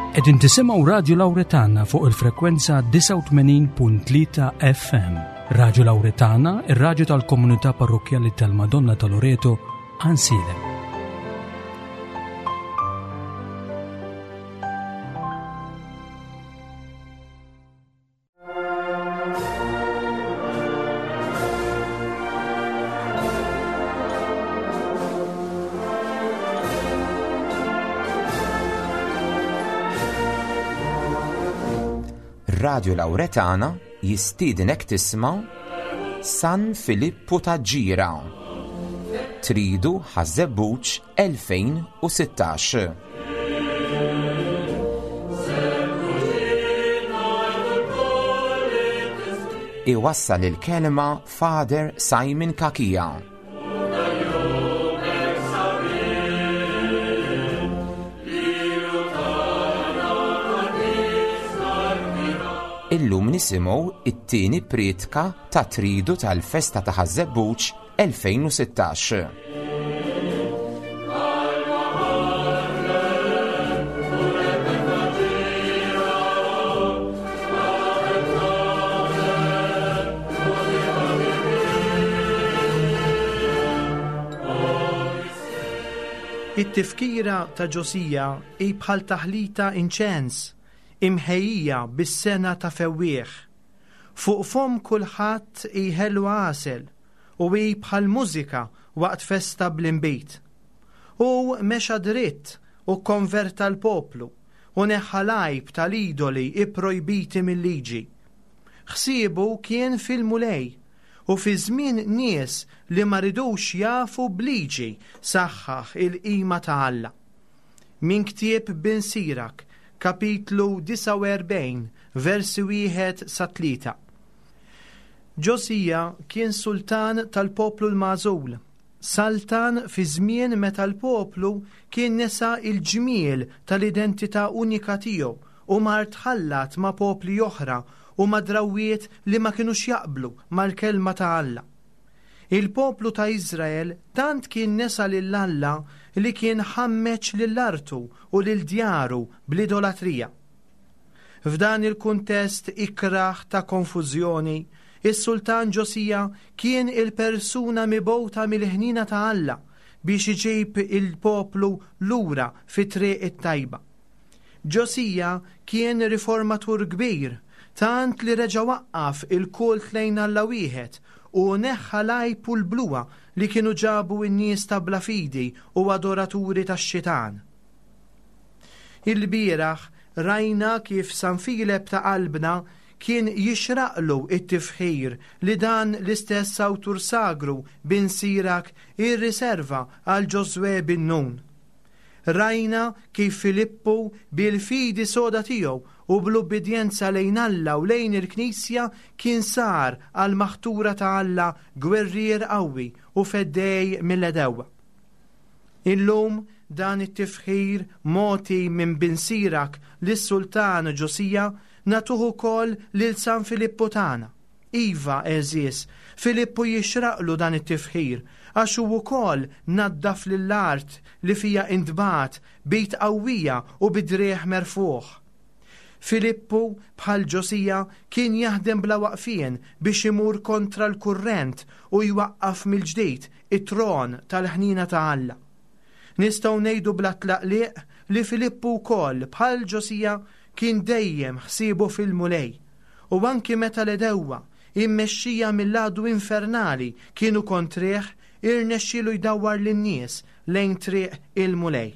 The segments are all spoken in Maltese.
Qegħdin tisimgħu Radju Lawretana fuq il-frekwenza 89.3 FM. Radju Lawretana, ir-radju tal-komunità parrokkjali tal-Madonna ta' Loreto, Ansilem. Radio Lauretana jistiednek tisma' San Filippu ta' Ġira. Tridu Ħaż-Żebbuġ 2016. Iwassal il-kelma Father Simon Cachia. Illum nisimgħu it-tieni prietka ta' tridu tal-festa ta' Ħaż-Żebbuġ 2016. It-tifkira ta' Ġosija hi bħal taħlita inċens imħejjija bis-sengħa ta' fewwieħ. Fuq fomm kulħadd hi ħelwa għasel u hi bħal mużika waqt festa bl-inbid. Hu mexa dritt u kkonverta l-poplu u neħħa l-għajb tal-idoli pprojbiti mil-liġi. Ħsiebu kien fil-Mulej u fi żmien nies li ma ridux jafu b'liġi saħħaħ il-qima ta' Alla. Minn ktieb Bin Sirak, kapitlu 49, versi wieħed sa tlieta. Ġosija kien sultan tal-poplu l-magħżul, saltan fi żmien meta l-poplu kien nesa l-ġmiel tal-identità unika tiegħu u mar tħallat ma' popli oħra u ma' drawwiet li ma kinux jaqblu mal-kelma ta' Alla. Il-poplu ta' Iżrael tant kien nesa lil Alla li kien ħammeġ lil artu u lil djaru bl-idolatrija. F'dan il-kuntest ikrah ta' konfużjoni, is-Sultan Ġosija kien il-persuna mibgħuta mill-ħniena ta' Alla biex iġib il-poplu lura fit-triq it-tajba. Ġosija kien riformatur kbir, tant li reġa' waqqaf il-kult lejn Alla wieħed u neħħa l-għajb u l-bluha li kienu ġabu n-nies ta' bla fidi u adoraturi tax-xitan. Ilbieraħ rajna kif San Filep ta' qalbna kien jixraqlu t-tifħir li dan l-istess awtur sagru bin Sirak irriserva għal Ġożwè bin Nun. Rajna kif Filippu bil-fidi soda tiegħu u bl-ubbidjenza lejn Alla u lejn il-Knisja kien sar għall-maħtura ta' Alla gwerrier qawwi u feddej mill-għedewwa. Illum dan it-tifħir mogħti minn bin Sirak lis-sultan Ġosija nagħtuh ukoll lil San Filippu tagħna. Iva, għeżież, Filippu jixraqlu dan it-tifħir, għax hu wkoll naddaf lill-art li fiha intbagħat b'id qawwija u bi driegħ merfugħ. Filippu, bħal Ġosija, kien jaħdem bla waqfien biex imur kontra l-kurrent u jwaqqaf mill-ġdid it-tron tal-ħniena ta' Alla. Nistgħu ngħidu bla tlaqliq li Filippu wkoll, bħal Ġosija, kien dejjem ħsiebu fil-Mulej, u anki meta l-għedewwa, immexxija mill-għadu infernali, kienu kontrih, irnexxielu jdawwar lin-nies lejn triq il-Mulej.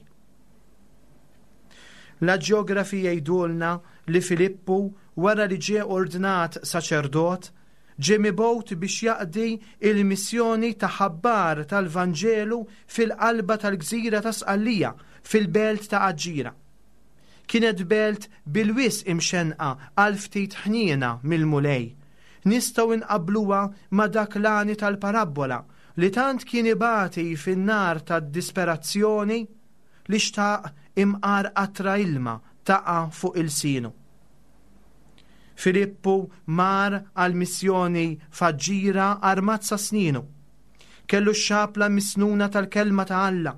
L-aġjografi jgħidulna li Filippu, wara li ġie ordnat saċerdot, ġie mibgħut biex jaqdi l-missjoni ta' ħabbar tal-Vanġelu fil-qalba tal-gżira ta' Sqallija, fil-belt ta' Aġġira. Kienet belt bil-wisq imxennqa għal ftit ħniena mill-Mulej. Nistgħu nqabbluha ma' dak l-għani tal-parabbola li tant kien ibati fin-nar tad-disperazzjoni li xtaq imqar qatra ilma taqa' fuq ilsienu. Filippu mar għall-missjoni f'Aġġira armat sa snienu. Kellu x-xapla misnuna tal-Kelma ta' Alla.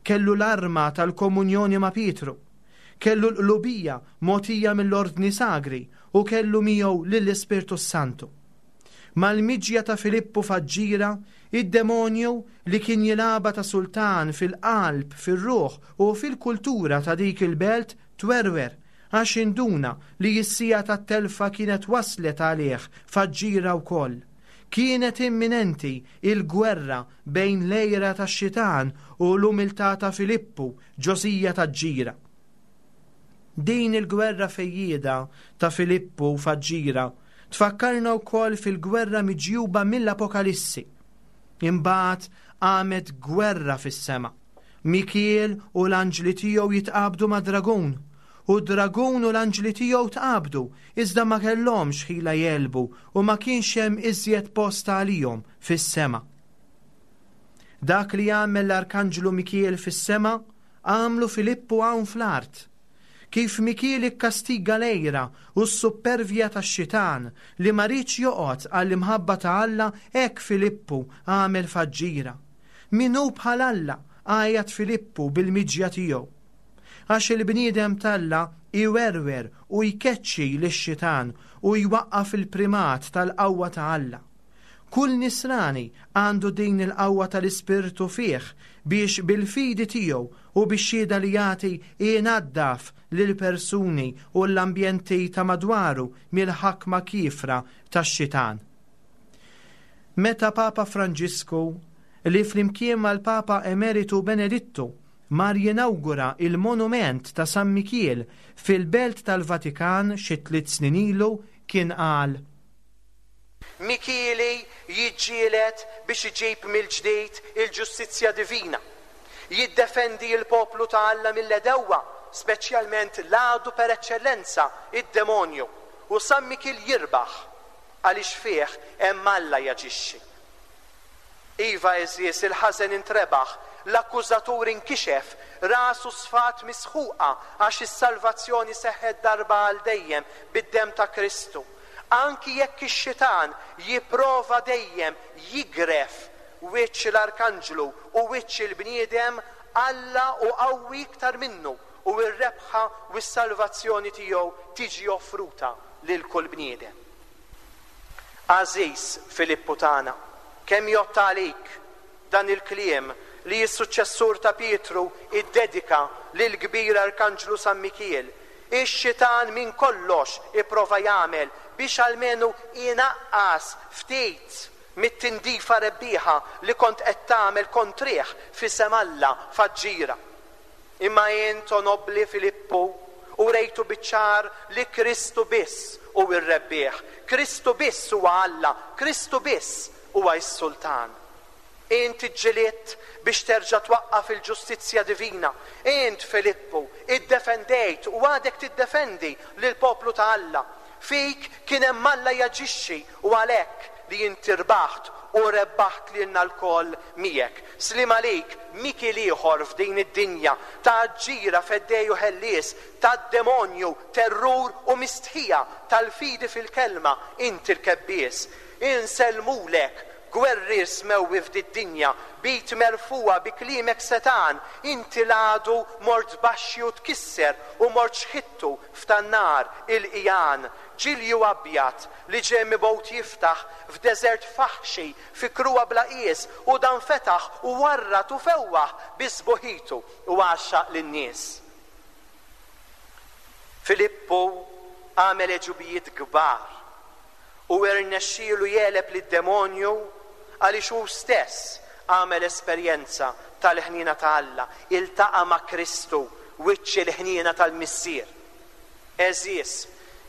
Kellu l-arma tal-komunjoni ma' Pietru. Kellu l-qlubija mogħtija mill-Ordni Sagri u kellu miegħu lill-Ispirtu s-Santu. Mal-miġja ta' Filippu f'Aġġira, id-demonju li kien jilgħabha ta' sultan fil-qalb, fir-ruħ u fil-kultura ta' dik il-belt twerwer għax induna li s-siegħa tat-telfa kienet waslet għalih f'Aġġira wkoll. Kienet imminenti l-gwerra bejn l-għira tax-xitan u l-umiltà ta' Filippu, Ġosija t'Aġġira. Din il-gwerra fejjieda ta' Filippu f'Aġġira tfakkarna wkoll fil-gwerra miġjuba mill-Apokalissi. Imbagħad qamet gwerra fis-sema. Mikiel u l-anġli tiegħu jitqabdu mad-dragun, u d-dragun u l-anġli tiegħu tqabdu, iżda ma kellhomx ħila jegħlbu u ma kienx hemm iżjed post għalihom fis-sema. Dak li għamel l-Arkanġlu Mikiel fis-sema, għamlu Filippu hawn fl-art. Kif Mikiel ikkastiga l-għira u s-suppervja tax-xitan li ma riedx joqgħod għall-imħabba ta' Alla hekk Filippu għamel f'Aġġira. Min hu bħal Alla? għajat Filippu bil-miġja tiegħu. Għax il-bniedem t'Alla iwerwer u jkeċċi lix-xitan u jwaqqaf il-primat tal-qawwa ta' Alla. Kull Nisrani għandu din il-qawwa tal-Ispirtu fih biex bil-fidi tiegħu u bix-xhieda li jagħti inaddaf lill-persuni u l-ambjenti ta' madwaru mill-ħakma kiefra tax-xitan. Meta Papa Franġisku, li flimkien mal-Papa Emeritu Benedittu mar jinawgura il-monument ta' San Mikiel fil-Belt tal-Vatikan xi tliet snin ilu, kien qal, Mikieli jiġġieled biex iġib mill-ġdid il-ġustizzja divina, jiddefendi l-poplu ta' Alla mill-għedewwa, speċjalment l-għadu per eċċellenza, id-demonju, u San Mikiel jirbaħ, għaliex fih hemm Alla jaġixxi. Iva, għeżież, il-ħażen intrebaħ, l-akkużatur inkixef, rasu sfat misħuqa għax is-salvazzjoni seħħet darba għal dejjem bid-demm ta' Kristu. Anki jekk ix-xitan jipprova dejjem jigref wiċċ l-arkanġlu u wiċċ il-bniedem, Alla hu qawwi iktar minnu u r-rebħa u s-salvazzjoni tiegħu tiġi offruta lil kull bniedem. Għażiż Filippu tagħna, kemm jgħodd għalik dan il-kliem li s-suċċessur ta' Pietru ddedika lill-kbir Arkanġlu San Mikiel, Ix-xitan minn kollox ipprova jagħmel biex almenu inaqqas ftit mit-tindifa rebbieħa li kont qed tagħmel kontrih f'isem Alla f'Aġġira. Imma int, o nobbli Filippu, urejtu biċ-ċar li Kristu biss hu r-rebbieħ, Kristu biss huwa Alla, Kristu biss huwa s-Sultan. Int iġġilidt biex terġa' twaqqaf il-ġustizzja divina. Int, Filippu, iddefendejt u għadek tiddefendi lill-poplu ta' Alla. Fik kien hemm Alla jaġixxi u għalhekk li inti rbaħt u rebbaħt lilna lkoll miegħek. Sliem għalik, Mikiel ieħor f'din id-dinja ta' għaġġira feddej u ħellies, tad-demonju, terrur u mistħija, tal-fidi fil-Kelma, inti l-kebbies. Insellmulek, Gwerrier smewwi f'did-dinja, b'id merfugħa bi kliemek setgħan, inti l-għadu mort tbaxxi u tkisser u mort xħittu f'tan-nar il-qigħan, ġilju abjad li ġie mibgħut jiftaħ f'deżert faħxi fi kruha bla qies u dan fetaħ u warrad u fewwaħ bi sbuħitu u għaxxaq lin-nies. Filippu għamel għeġubijiet kbar. U irnexxielu jegħleb lid-demonju għaliex hu stess għamel esperjenza tal-ħniena ta' Alla, iltaqa' ma' Kristu, wiċċ il-ħniena tal-Missier. Għeżież,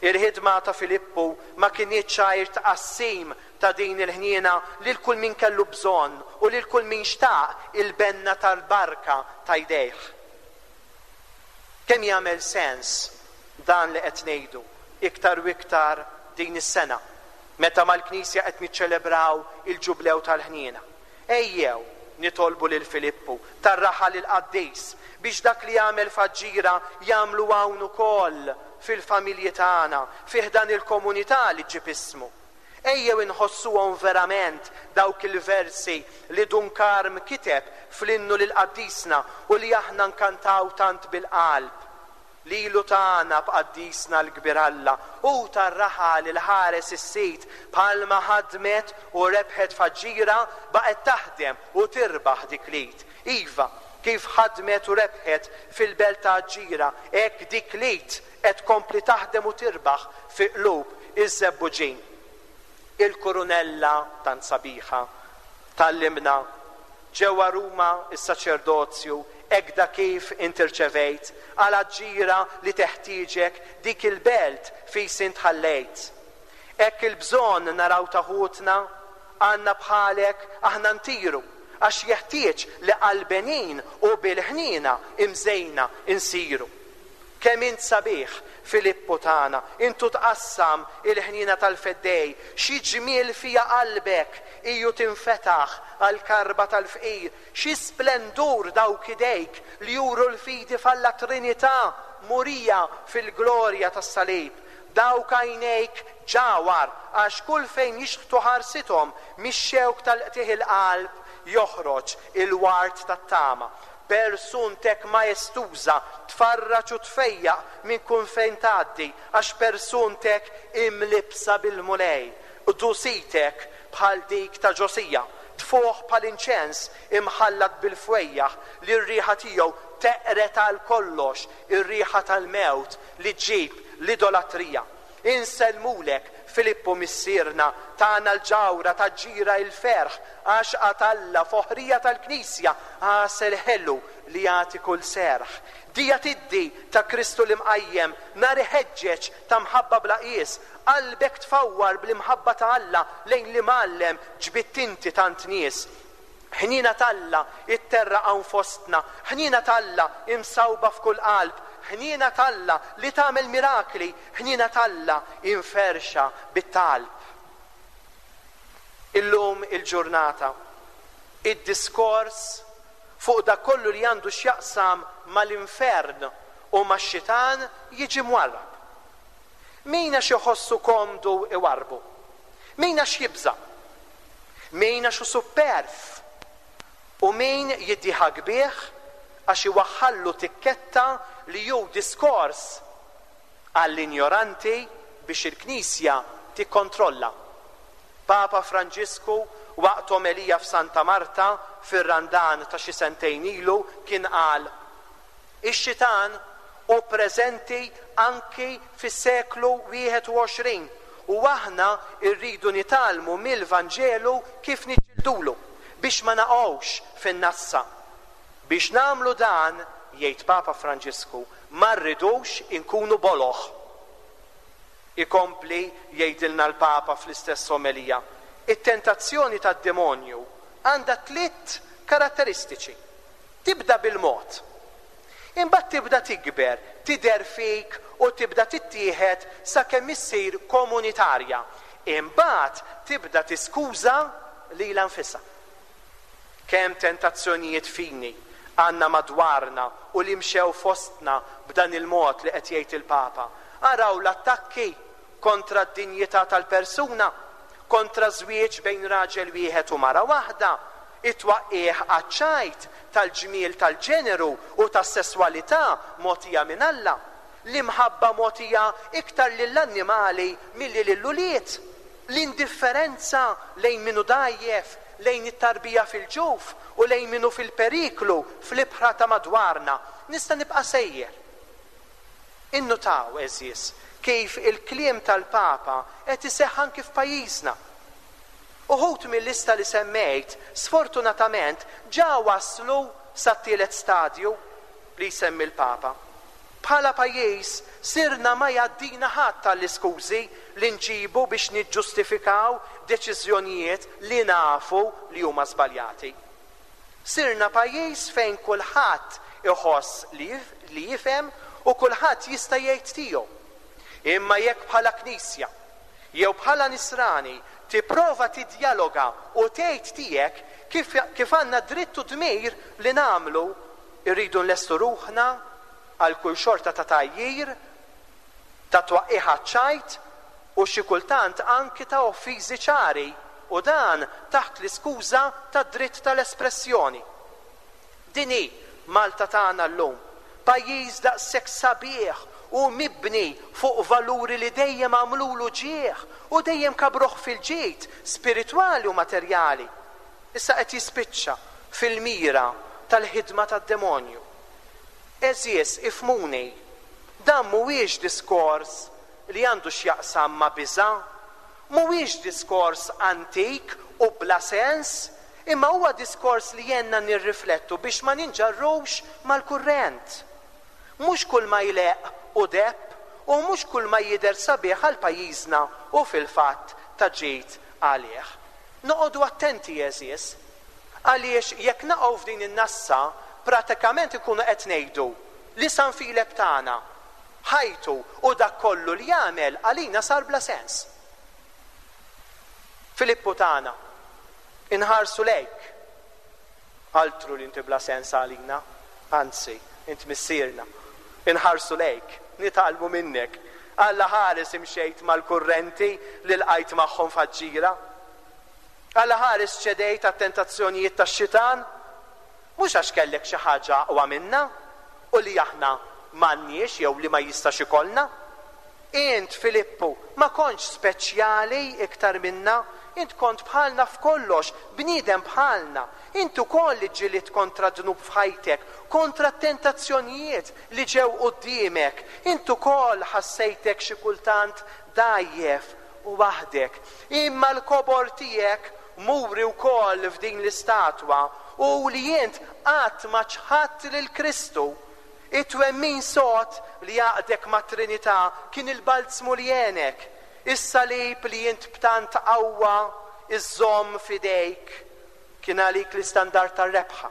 il-ħidma ta' Filippu ma kinitx għajr tqassim ta' din il-ħniena lil kull min kellu bżonn u lil kull min xtaq il-benna tal-barka ta' jdejh. Kemm jagħmel sens dan li qed ngħidu, iktar u iktar din is-sena, meta mal-Knisja qed niċċelebraw il-Ġublew tal-Ħniena. Ejjew nitolbu lil Filippu tar-raħal il-qaddis biex dak li għamel f'Aġġira jagħmlu hawn ukoll fil-familji tagħna, fi ħdan il-komunità li ġġib ismu. Ejjew inħossuhom verament dawk il-versi li Dun Karm kiteb fl-innu lil qaddisna u li aħna nkantaw tant bil-qalb. Lilu tana b'qaddisna l-kbir Alla, hu tar-raħal il-ħares is-sid, bħalma ħadmet u rebħet f'Aġġira, baqgħet taħdem u tirbaħ dik l-id. Iva, kif ħadmet u rebħet fil-belt ta' Aġġira, hekk dik l-id qed tkompli taħdem u tirbaħ fi qlub iż-Żebbuġin. Il-kurunella tant sabiħa tgħallimna Ġewwa Ruma s-saċerdozju hekda kif int irċevejt, għal Aġġira li teħtieġek dik il-belt fis int ħallejt. Hekk il-bżonn naraw ta' ħutna, għandna bħalek aħna ntiru, għax jeħtieġ li qalbenin u bil-ħniena imżejna nsiru. Kemm int sabiħ, Filippu tagħna, int u tqassam il-ħniena tal-Feddej, xi ġmiel fiha qalbek, hi u tinfetaħ għall-karba tal-fqir, xi splendur dawk idejk li juru l-fidi f'Alla Trinità murija fil-glorja tas-salib, dawk għajnejk ġawhar għax kull fejn jixħtu ħarsithom mix-xewk tal-qtigħ il-qalb joħroġ il-ward tat-tama. Persuntek maestuża tfarraġ u tfejjaq minn kull fejn tgħaddi, għax persuntek imlibbsa bil-Mulej. Qdusitek bħal dik ta' Ġosija, tfuħ bħal inċens imħallat bil-fwejjaħ li r-riħa tiegħu teqred għal kollox ir-riħa tal-mewt li ġġib l-idolatrija. Insellmulek, Filippu missierna, tagħna l-ġawhra taġġira il-ferħ, għaxqa t'Alla, foħrija tal-Knisja, għasel ħelu li jagħti kull serħ. Dija tiddi ta' Kristu l-Imqajjem, nar iħeġġeġ ta' mħabba bla qies, qalbek tfawwar bl-imħabba ta' Alla lejn l-Imgħallem ġbidt inti tant nies. Ħniena t'Alla itterraq hawn fostna, ħniena t'Alla imsawba f'kull qalb, ħniena t'Alla li tagħmel mirakli, ħniena t'Alla imferrxa bit-talb. Illum il-ġurnata, id-diskors fuq dak kollu li għandu x'jaqsam mal-infern u max-xitan jiġi mwarrab. Min għax iħossu komdu iwarrbu? Min għax jibża'? Min għax hu supperv u min jiddieħak bih għax iwaħħallu tikketta li hu diskors għall-injoranti biex il-Knisja tikkontrolla. Papa Franġisku waqt omelija f'Santa Marta fir-Randan ta' xi sentejn ilu kien qal, Ix-xitan hu preżenti anki fis-seklu 21 u aħna rridu nitgħallmu mill-Vanġelu kif niġġildulu biex ma naqgħux fin-nassa. Biex nagħmlu dan, jgħid Papa Franġisku, ma rridux inkunu boloh. Ikompli jgħidilna l-Papa fl-istess omelija, it-tentazzjoni tad-demonju għandha tliet karatteristiċi. Tibda bil-mod. Imbagħad tibda tikber, tidher fik u tibda tittieħed sakemm issir komunitarja. Imbagħad tibda tiskuża lilha nfisha. Kemm tentazzjonijiet fini għandna madwarna u li mxew fostna b'dan il-mod li qed jgħid il-Papa. Araw l-attakki kontra d-dinjità tal-persuna, kontra ż-żwieġ bejn raġel wieħed u mara waħda, it-twaqqigħ għaċ-ċajt tal-ġmiel tal-ġeneru u tas-sesswalità mogħtija minn Alla, l-imħabba mogħtija iktar lill-annimali milli lill-ulied, l-indifferenza lejn min hu dgħajjef, lejn it-tarbija fil-ġuf u lejn min hu fil-periklu fl-ibħra ta' madwarna. Nista' nibqa' sejjer. Innutaw, għeżież, kif il-kliem tal-Papa qed iseħħ anki f'pajjiżna. Uħud mil-lista li semmejt, sfortunatament, ġa waslu sat-tielet stadju li jsemmi l-Papa. Bħala pajjiż sirna ma jgħaddina ħadd għall-iskużi li nġibu biex niġġustifikaw deċiżjonijiet li nafu li huma żbaljati. Sirna pajjiż fejn kulħadd iħoss li li jifhem u kulħadd jista' jgħid tiegħu. Imma jekk bħala Knisja, jew bħala Nisrani tipprova tiddjaloga u tgħid tiegħek kif kif għandna dritt u dmir li nagħmlu, irridu nlestu ruħna għal kull xorta ta' tgħajjir, ta' twaqqigħ għaċ-ċajt u xi kultant anki ta' offiżi ċari, u dan taħt l-iskuża tad-dritt tal-espressjoni. Din hi Malta tagħna llum. Pajjiż daqshekk sabiħ u mibni fuq valuri li dejjem għamlulu ġieħ u dejjem kabbruh fil-ġid spiritwali u materjali, issa qed jispiċċa fil-mira tal-ħidma tad-demonju. Għeżież, ifhmuni, dan mhuwiex diskors li għandu x'jaqsam ma' biża', mhuwiex diskors antik u bla sens, imma huwa diskors li għenna nirriflettu biex ma ninġarrux mal-kurrent. Mhux kull ma jleqq hu deheb u mhux kull ma jidher sabiħ għal pajjiżna hu fil-fatt ta' ġid għalih. Noqogħdu attenti għeżież, għaliex jekk naqgħu f'din in-nassa pratikament inkunu qed ngħidu li San Filep tagħna, ħajtu u dak kollu li għamel għalina sar bla sens. Filippu tagħna, inħarsu lejk. Altru li inti bla sens għalina, anzi, int missierna. Inħarsu lejk, nitgħallmu minnek. Alla ħares imxejt mal-kurrenti li lqajt magħhom f'Aġġira. Alla ħares ċedejt għat-tentazzjonijiet tax-xitan. Mhux għax kellek xi ħaġa aqwa minna u li aħna m'għandniex jew li ma jistax ikollna. Int, Filippu, ma kontx speċjali iktar minna, int kont bħalna f'kollox, bniedem bħalna. Int ukoll iġġilidt kontra d-dnub f'ħajtek, kontra t-tentazzjonijiet li ġew quddiemek. Int ukoll ħassejtek xi kultant dgħajjef u waħdek. Imma l-kobor tiegħek muri wkoll f'din l-istatwa hu li int qatt ma ċħadt lil Kristu. It-twemmin sod li għaqdek mat-Trinità kien il-balzmu li għenek. Is-salib li int b'tant qawwa żżomm f'idejk kien għalik l-istandard tar-rebħa.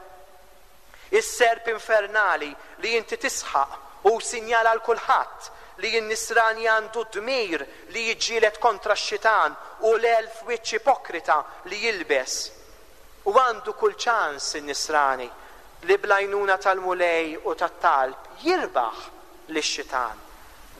Is-serp infernali li inti tisħaq hu sinjal għal kulħadd li n-Nisrani għandu d-dmir li jiġġieled kontra x-xitan u l-elf wiċċ ipokrita li jilbes. U għandu kull ċans in-Nisrani li bl-għajnuna tal-Mulej u tat-talb jirbaħ lix-xitan.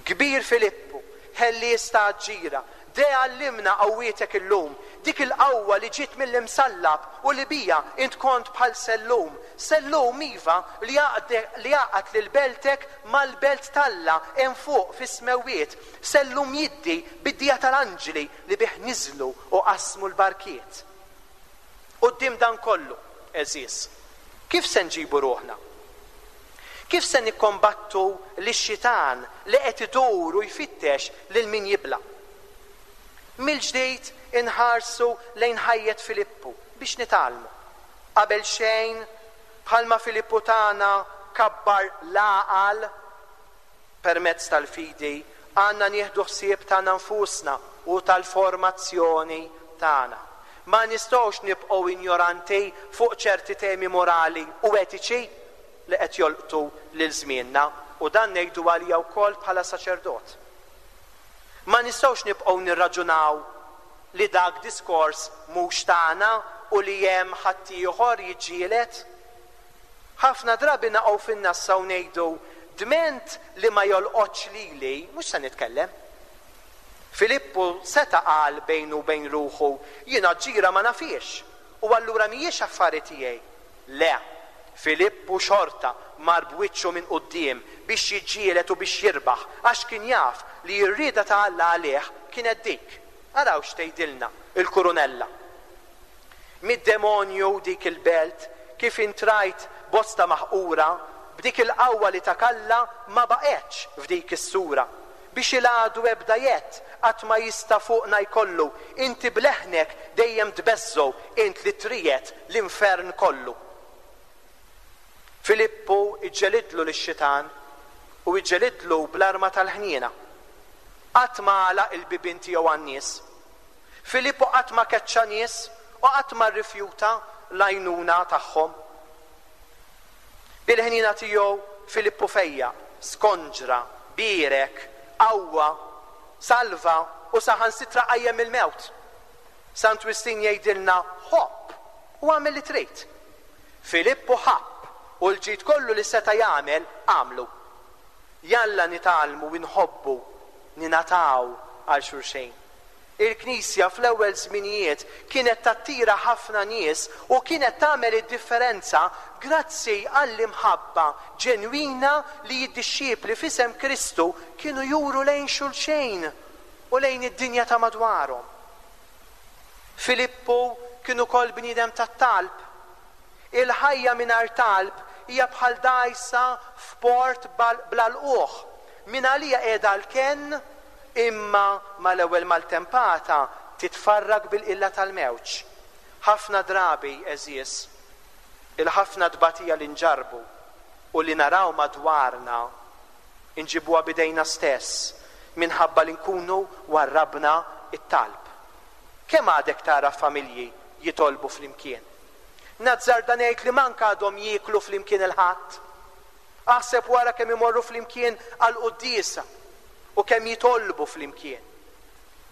Kbir Filippu, ħellies ta' Aġġira, de għallimna qawwietek illum, dik il-qawwa li ġiet mill-Imsallab u li biha int kont bħal sellum, sellum, iva, li li għaqqad lil beltek mal-belt t'Alla hemm fuq fis-smewwiet, sellum jiddi bid-dija tal-anġli li bih niżlu u qasmu l-barkiet. Quddiem dan kollu, għeżież, kif se nġibu ruħna? Kif se nikkombattu lix-Xitan li qed idur u jfittex lil min jibla'? Mill-ġdid inħarsu lejn ħajjet Filippu biex nitgħallmu. Qabel xejn, bħalma Filippu tagħna kabbar l-għaqal, Permezz tal-fidi, għandna nieħdu ħsieb tagħna nfusna u tal-formazzjoni tagħna. Ma nistgħux nibqgħu injoranti fuq ċerti temi morali u etiċi li qed jolqtu lil żmienna, u dan ngħidu għalija wkoll bħala saċerdot. Ma nistgħux nibqgħu nirraġunaw li dak diskors mhux tagħna u li hemm ħaddieħor jiġġieled. Ħafna drabi naqgħu fin-nassa u ngħidu, Dment li ma jolqotx lili, mhux se nitkellem. Filippu seta' qal bejnu u bejn ruħu, Jiena ġira ma nafhiex, u allura mhijiex affari tiegħi. Le, Filippu xorta mar b'wiċċu minn quddiem biex jiġġieled u biex jirbaħ għax kien jaf li r-rieda ta' Alla għalih kienet dik. Araw x'tgħidilna l-kurunella. Mid-demonju dik il-belt, kif int rajt bosta maħqura, b'dik il-qawwa li tak Alla ma baqgħetx f'dik is-sura. Biex il-għadu ebda jedd qatt ma jista' fuqna jkollu, inti b'leħnek dejjem tbeżżgħu int li triegħed l-infern kollu. Filippu iġġelidlu lix-xitan u iġġelidlu bl-arma tal-ħniena. Qatt ma għalaq il-bibien tiegħu għan-nies. Filippu qatt ma keċċa nies u qatt ma rrifjuta l-għajnuna tagħhom. Bil-ħniena tiegħu Filippu fejjaq, skonġra, bierek, qawwa, salva u saħansitra qajjem mill-mewt. Sant Wistin jgħidilna, Ħobb u agħmel li trid. Filippu ħabb u l-ġid kollu li seta' jagħmel għamlu. Jalla nitgħallmu nħobbu, ningħataw għal xulxin. Il-Knisja fl-ewwel żminijiet kienet tattira ħafna nies u kienet tagħmel id-differenza grazzi għall-imħabba ġenwina li d-dixxipli f'isem Kristu kienu juru lejn xulxejn u lejn id-dinja ta' madwarhom. Filippu kien ukoll bniedem tat-talb. Il-ħajja mingħajr talb hija bħal dgħajsa f'port bla lqugħ. Mingħalija qiegħda l-kenn imma mal-ewwel maltempata titfarrak bil-qilla tal-mewġ. Ħafna drabi, għeżież, il-ħafna tbatija li nġarrbu u li naraw madwarna nġibuha b'idejna stess minħabba li nkunu warrabna t-talb. Kemm għadek tara familji jitolbu flimkien? Nazzarda ngħid li mank għadhom jieklu flimkien il-Ħadd. Aħseb wara kemm imorru flimkien għall-quddiesa u kemm jitolbu flimkien.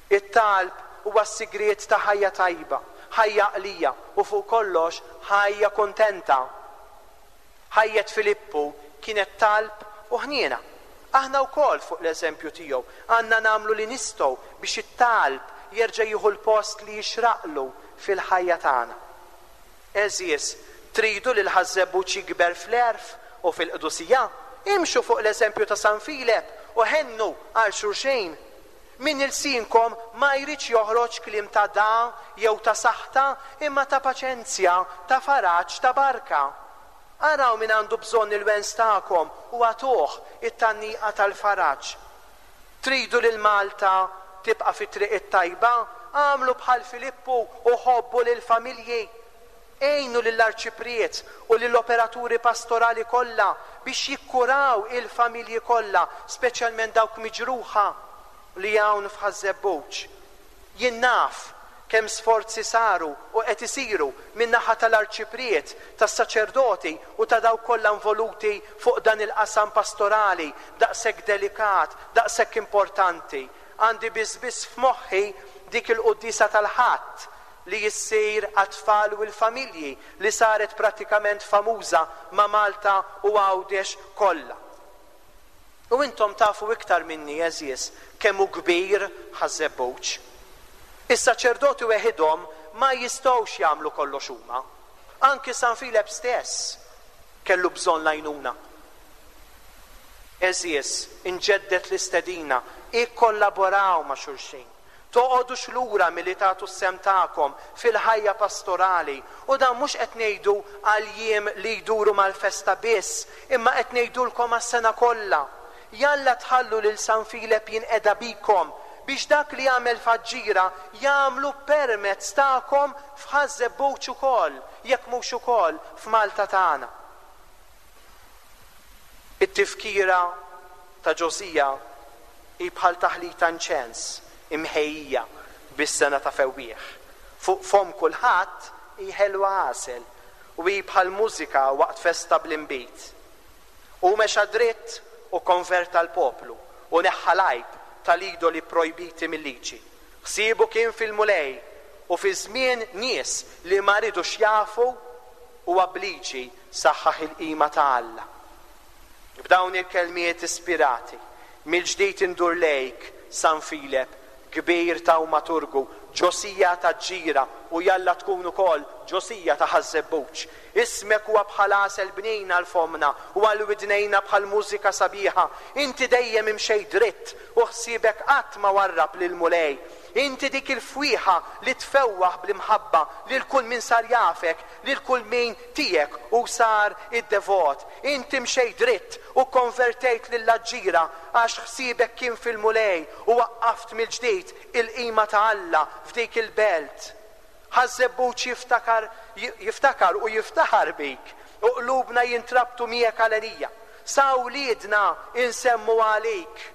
It-talb huwa s-sigriet ta' ħajja tajba, ħajja għaqlija u fuq kollox ħajja kuntenta. Ħajjet Filippu kienet talb u ħniena. Aħna wkoll fuq l-eżempju tiegħu għandna nagħmlu li nistgħu biex it-talb jerġa' jieħu l-post li jixraqlu fil-ħajja tagħna. Għeżież, tridu li l-ħaż-żebbuġ jikber fl-għerf u fil-qdusija? Imxu fuq l-eżempju ta' San Filep u ħennu għal xulxin. Minn ilsienkom ma jridx joħroġ kliem ta' dagħa jew ta' saħta, imma ta' paċenzja, ta' faraġ, ta' barka. Araw min għandu bżonn il-wens tagħkom u agħtuh it-tgħanniqa tal-faraġ. Tridu lil Malta tibqa' fit-triq it-tajba? Agħmlu bħal Filippu u ħobbu lill-familji. Għinu lill-Arċipriet u lill-operaturi pastorali kollha biex jikkuraw il-familji kollha, speċjalment dawk miġruħa li hawn f'Ħaż-Żebbuġ. Jien naf kemm sforzi saru u qed isiru min-naħa tal-Arċipriet, tas-saċerdoti u ta' dawk kollha involuti fuq dan il-qasam pastorali daqshekk delikat, daqshekk importanti. Għandi biss biss f'moħħi dik il-quddiesa tal-Ħadd li ssir għat-tfal u l-familji li saret prattikament famuża ma' Malta u Għawdex kollha. U intom tafu iktar minni, għeżież, kemm hu kbir Ħaż-Żebbuġ. Is-saċerdoti weħidhom ma jistgħux jagħmlu kollox huma. Anki San Filep stess kellu bżonn l-għajnuna. Għeżież, inġedded l-istedina, ikkollaboraw ma' xulxin. Toqogħdux lura milli tagħtu s-sehem tagħkom fil-ħajja pastorali, u dan mhux qed ngħidu għall-jiem li jduru mal-festa biss, imma qed ngħidulkom għas-sena kollha. Jalla tħallu lil San Filep jinqeda bikom, biex dak li għamel f'Aġġira jagħmlu permezz tagħkom f'Ħaż-Żebbuġ ukoll, jekk mhux ukoll f'Malta tagħna. It-tifkira ta' Ġosija hi bħal taħlita inċens imħejjija bis-sengħa ta' fewwieħ. Fuq fomm kulħadd hi ħelwa għasel, u hi bħal mużika waqt festa bl-inbid. Hu mexa dritt u kkonverta l-poplu, u neħħa l-għajb tal-idoli pprojbiti mil-Liġi. Ħsiebu kien fil-Mulej, u fi żmien nies li ma ridux jafu, huwa b'liġi saħħaħ il-qima ta' Alla. B'dawn il-kelmiet ispirati, mill-ġdid indur lejk, San Filep, kbir tawmaturgu, Ġosija ta' Ġira u jalla tkun ukoll Ġosija ta' Ħaż-Żebbuġ. Ismek huwa bħal għasel bnin għal fommna u għal widnejna bħal mużika sabiħa. Inti dejjem imxejt dritt u ħsiebek qatt ma warrab lill-Mulej. Inti dik il-fwieħa li tfewwaħ bl-imħabba lil kull min sar jafek, lil kull min tiegħek u sar id-devot. Inti mxejt dritt u kkonvertejt lill-Aġġira għax ħsiebek kien fil-Mulej u waqqaft mill-ġdid il-qima ta' Alla f'dik il-belt. Ħaż-Żebbuġ jiftakar jiftakar u jiftaħar bik u qlubna jintrabtu miegħek għalenija. Sa wliedna insemmu għalik.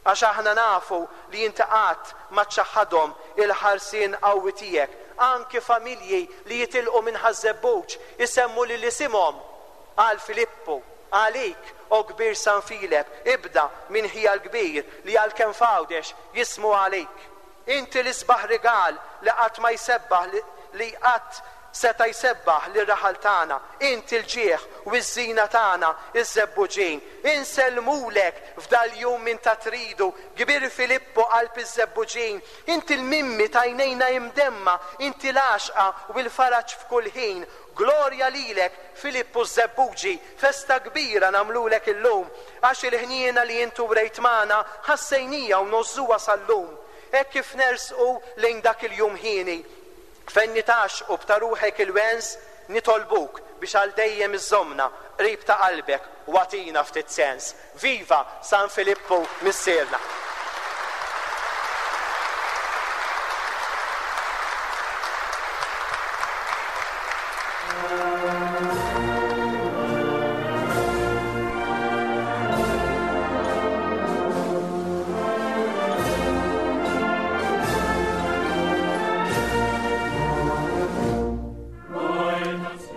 Għax aħna nafu li inti qatt ma ċċaħħadhom il-ħarsien qawwi tiegħek, anki familji li jitilqu minn Ħaż-Żebbuġ isemmu lil isimhom għal Filippu, għalik, o kbir San Filep, ibda minn ħija l-kbir li għalkemm f'Għawdex jismu għalik. Inti l-isbaħ rigal li qatt ma jsebbaħ li qatt. seta' jsebbaħ lir-raħal tagħna, int il-ġieħ u ż-żina tagħna, iż-Żebbuġin. Insellmulek f'dal-jum minn ta' tridu, kbir Filippu qalb iż-Żebbuġin. Int il-mimmi t'għajnejna imdemma, inti l-għaxqa u l-faraġ f'kull ħin. Glorja lilek, Filippu ż-Żebbuġi, festa kbira nagħmlulek illum, għax il-ħniena li int urejt magħna ħassejnija u ngħożżuha sal-lum. Hekk kif nersqu lejn dak il-jum hieni, fejn nitgħaxxqu b'ta' ruħek il-wens, nitolbuk biex għal dejjem iżżommna qrib ta' qalbek u agħtina ftit sens. Viva San Filippu Missierna!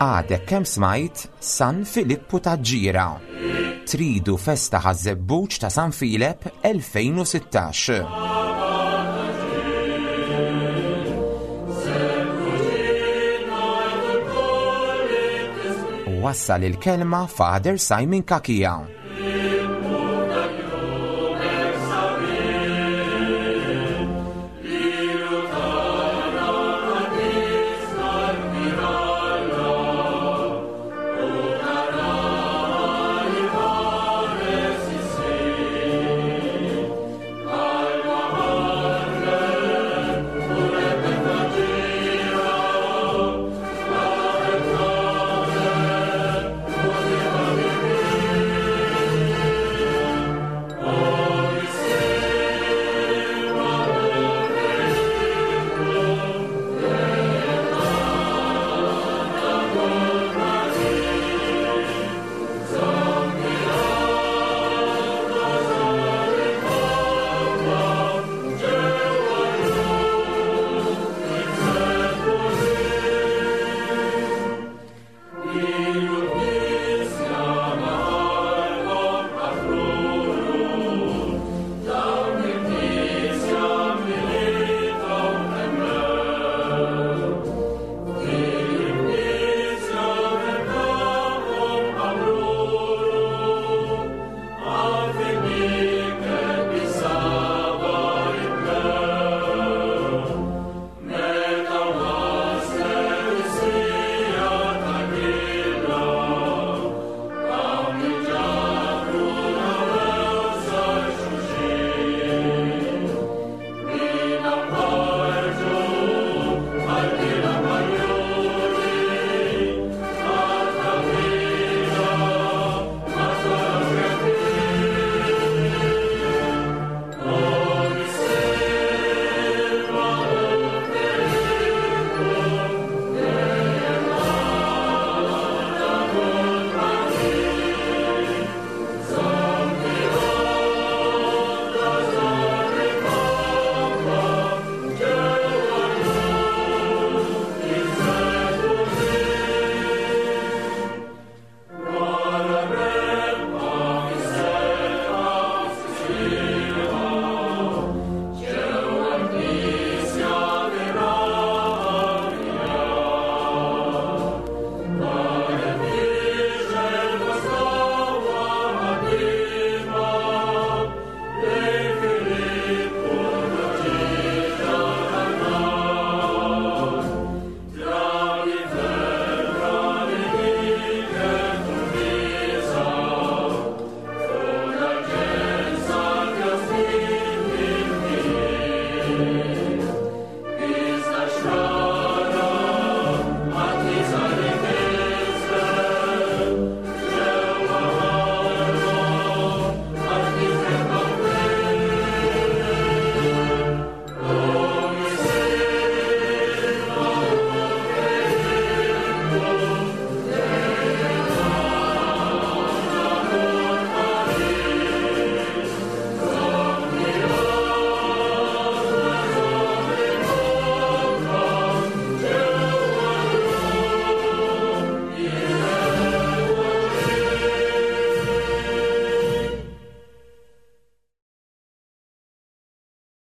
Għadek kemm smajt San Filippu ta' Ġira. Tridu festa ħaż-żebbuġ ta' San Filep 2016. Wassal il-kelma Father Simon Kakia.